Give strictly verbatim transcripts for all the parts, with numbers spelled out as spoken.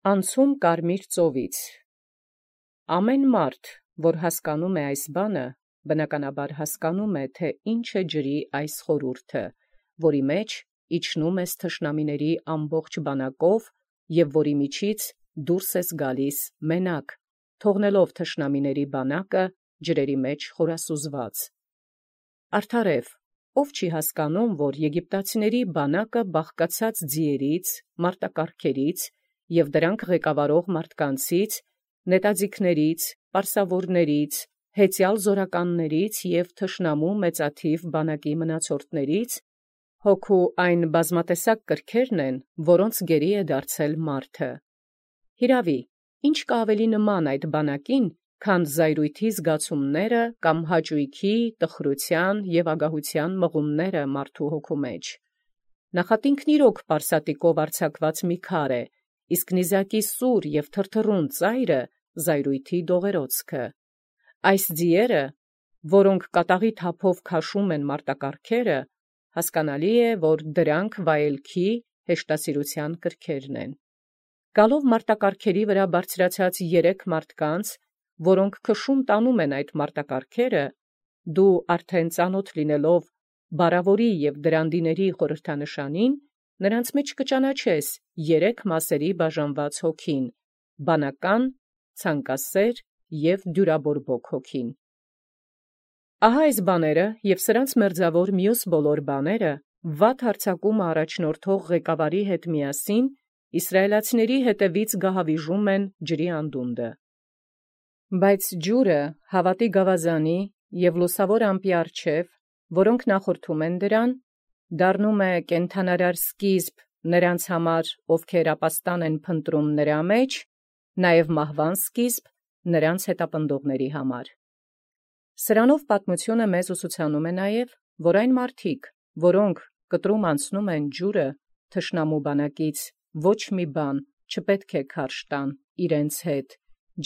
Անցում կարմիր ծովից։ Ամեն մարդ, որ հասկանում է այս բանը, բնականաբար հասկանում է, թե ինչ է ջրի այս խորհուրդը, որի մեջ իջնում ես թշնամիների ամբողջ բանակով և որի միջից դուրս ես գալիս մենակ, թողնելով թշնամիների բանակը ջրերի մեջ խորասուզված։ Արդարև, ով չի հասկանում, որ եգիպտացիների բանակը բաղկացած ձիերից, մարտակառքերից և դրանք ղեկավարող մարդկանցից, նետաձիգներից, պարսավորներից, հեծյալ զորականներից և թշնամու մեծաթիվ բանակի մնացորդներից, հոգու այն բազմատեսակ կրքերն են, որոնց գերի է դարձել մարդը։ Հիրավի, ինչ կա ավելի նման այդ բանակին, քան զայրույթի զգացումները կամ հաճույքի, տխրության և ագահության մղումները մարդու հոգու մեջ։ Նախատինքն իրոք պարսատիկով արձակված մի քար է, իսկ նիզակի սուր և թրթռուն ծայրը զայրույթի դողերոցքը։ Այս ձիերը, որոնք կատաղի թափով քաշում են մարտակառքերը, հասկանալի է, որ դրանք վայելքի, հեշտասիրության կրքերն են։ Գալով մարտակառքերի վրա բարձրացած երեք մարդկանց, որոնք քշում տանում են այդ մարտակառքերը, դու արդեն ծանոթ լինելով բառավորի և դրանդիների խորհրդանշանին, նրանց մեջ կճանաչես երեք մասերի բաժանված հոգին՝ բանական, ցանկասեր և դյուրաբորբոք հոգին։ Ահա այս բաները և սրանց մերձավոր մյուս բոլոր բաները վատ հարձակումը առաջնորդող ղեկավարի հետ միասին իսրայելացիների հետևից գահավիժում են ջրի անդունդը։ Բայց ջուրը հավատի գավազանի և լուսավոր ամպի առջև, որոնք նախորդում են դրան, դառնում է կենդանարար սկիզբ նրանց համար, ովքեր ապաստան են փնտրում նրա մեջ, նաև մահվան սկիզբ նրանց հետապնդողների համար։ Սրանով պատմությունը մեզ ուսուցանում է նաև, որ այն մարդիկ, որոնք կտրում անցնում են ջուրը, թշնամու բանակից ոչ մի բան չպետք է քարշ տան իրենց հետ,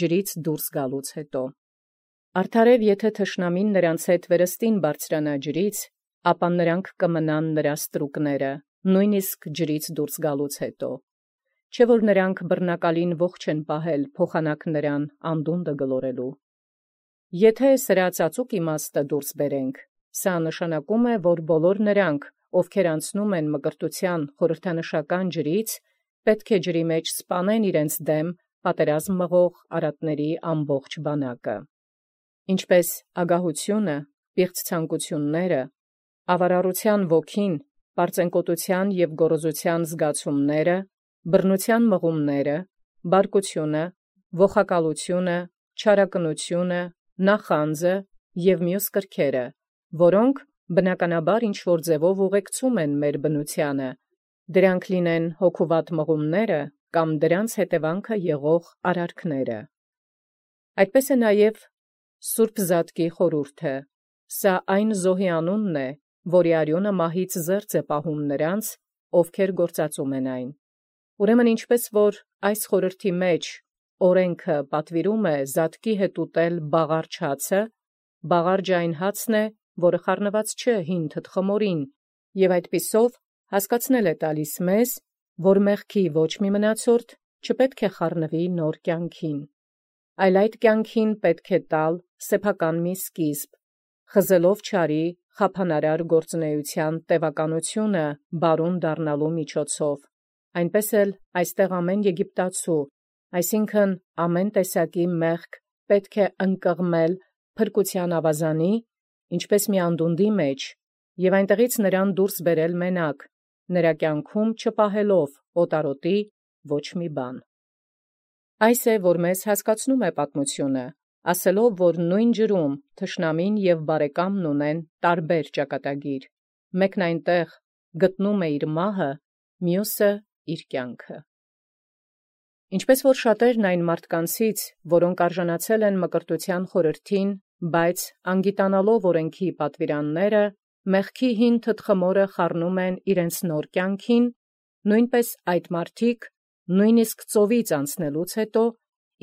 ջրից դուրս գալուց հետո։ Արդարև եթե թշնամին նրանց հետ վերստին բարձրանա ջրից, ապա նրանք կմնան նրա ստրուկները, նույնիսկ ջրից դուրս գալուց հետո։ Չէ՞ որ նրանք բռնակալին ողջ են պահել փոխանակ նրան անդունդը գլորելու։ Եթե սրա ծածուկ իմաստը դուրս բերենք, սա նշանակում է, որ բոլոր նրանք, ովքեր անցնում են մկրտության խորհրդանշական ջրից, պետք է ջրի մեջ սպանեն իրենց դեմ պատերազմ մղող արատների ամբողջ բանակը։ Ինչպես ագահությունը, պիղծ ցանկությունները, ավարառության ոգին, պարծենկոտության և գոռոզության զգացումները, բռնության մղումները, բարկությունը, ոխակալությունը, չարակնությունը, նախանձը և մյուս կրքերը, որոնք բնականաբար ինչ-որ ձևով ուղեկցում են մեր բնությանը, դրանք լինեն հոգուվատ մղումները կամ դրանց հետևանքը եղող արարքները։ Այդպես է նաև Սուրբ Զատկի խորհուրդը, սա այն զոհի անունն է, որի արյունը մահից զերծ է պահում նրանց, ովքեր գործածում են այն։ Ուրեմն ինչպես որ այս խորհրդի մեջ օրենքը պատվիրում է զատկի հետ ուտել բաղարջ հացը, բաղարջը այն հացն է, որը խառնված չէ հին թտխմորին, և այդպիսով հասկացնել է տալիս մեզ, որ մեղքի ոչ մի մնացորդ չպետք է խառնվի նոր կյանքին, այլ այդ կյանքին պետք է տալ սեփական մի սկիզբ, խզելով չարի խափանարար գործունեության տևականությունը բարուն դառնալու միջոցով, այնպես էլ այստեղ ամեն եգիպտացու, այսինքն ամեն տեսակի մեղք պետք է ընկղմել փրկության ավազանի, ինչպես մի անդունդի մեջ, և այնտեղից նրան դուրս բերել մենակ, նրա կյանքում չպահելով օտարոտի ոչ մի բան։ Այս է, որ մեզ հասկացնում է պատմությունը, ասելով, որ նույն ջրում թշնամին և բարեկամն ունեն տարբեր ճակատագիր, մեկն այնտեղ գտնում է իր մահը, մյուսը իր կյանքը։ Ինչպես որ շատերն այն մարդկանցից, որոնք արժանացել են մկրտության խորհրդին, բայց անգիտանալով օրենքի պատվիրանները, մեղքի հին թտխմորը խառնում են իրենց նոր կյանքին, նույնպես այդ մարդիկ, նույնիսկ ծովից անցնելուց հետո,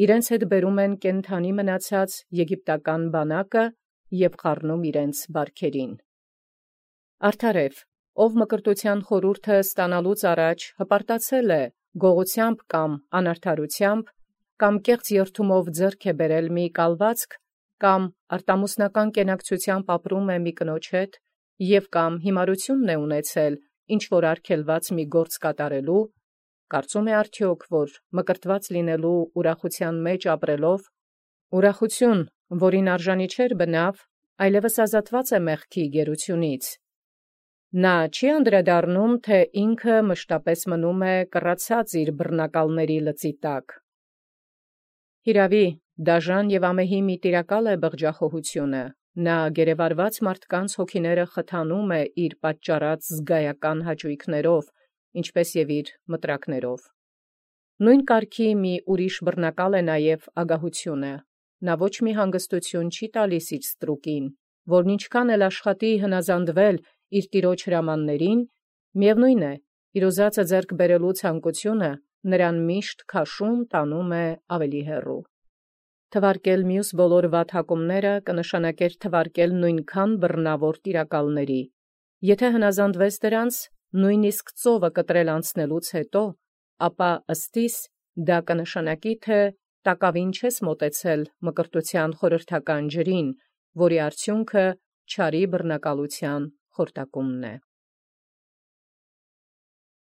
իրենց հետ բերում են կենդանի մնացած եգիպտական բանակը և խառնում իրենց բարքերին։ Արդարև, ով մկրտության խորհուրդը ստանալուց առաջ հպարտացել է, գողությամբ կամ անարդարութեամբ, կամ կեղծ երթումով ձեռք է բերել մի կալվածք, կամ արտամուսնական կենակցութեամբ ապրում է մի կնոջ հետ, և կամ հիմարութիւն է ունեցել ինչ որ արգելված մի գործ կատարելու, կարծում է արդյոք, որ մկրտված լինելու ուրախութեան մեջ ապրելով, ուրախութիւն, որին արժանի չէր բնաւ, այլևս ազատված է մեղքի գերութիւնից, նա չի անդրադառնում, թէ ինքը մշտապես մնում է կռացած իր բռնակալների լծի տակ։ Հիրաւի, դաժան և ամեհի մի տիրակալ է բղջախոհութիւնը, նա գերեվարված մարդկանց հոգիները խթանում է իր պատճառած զգայական հաճոյքներով, ինչպէս եւ իր մտրակներով։ Նույն կարգի մի ուրիշ բռնակալ է նաև ագահութիւնը, նա ոչ մի հանգստութիւն չի տալիս իր ստրուկին, որն ինչքան էլ աշխատի հնազանդվել իր տիրոջ հրամաններին, միևնույն է, իր ուզածը ձեռք բերելու ցանկությունը նրան միշտ քաշում տանում է ավելի հեռու։ Թվարկել մյուս բոլոր վատ հակումները կնշանակեր թվարկել նույնքան բռնաւոր տիրակալների, եթե հնազանդվես դրանց, նույնիսկ ծովը կտրել անցնելուց հետո, ապա ըստիս դա կնշանակի, թէ տակավին չես մոտեցել մկրտութեան խորհրդական ջրին, որի արդյունքը չարի բռնակալութեան խորտակումն է։